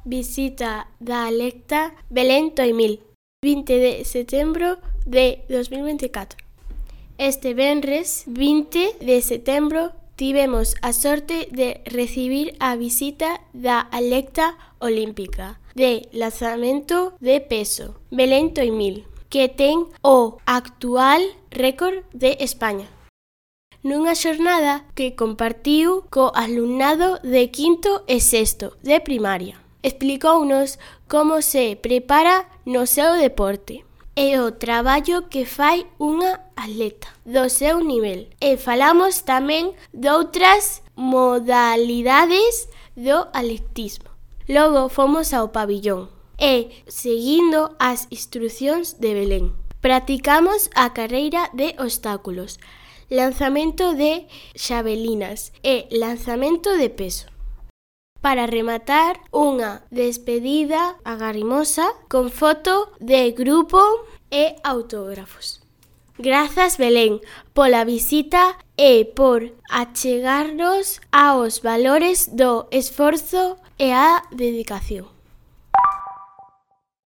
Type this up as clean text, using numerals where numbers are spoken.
visita da Alecta Belén 2000, 20 de setembro de 2024. Este venres 20 de setembro tivemos a sorte de recibir a visita da Alecta Olímpica de lanzamento de peso Belén 2000, que ten o actual récord de España. Nunha xornada que compartiu co alumnado de quinto e sexto de primaria. Explicounos como se prepara no seu deporte e o traballo que fai unha atleta do seu nivel. E falamos tamén doutras modalidades do atletismo. Logo fomos ao pabillón e, seguindo as instrucións de Belén, practicamos a carreira de obstáculos, lanzamento de xavelinas e lanzamento de peso. Para rematar, unha despedida agarimosa con foto de grupo e autógrafos. Grazas, Belén, pola visita e por achegarnos aos valores do esforzo e a dedicación.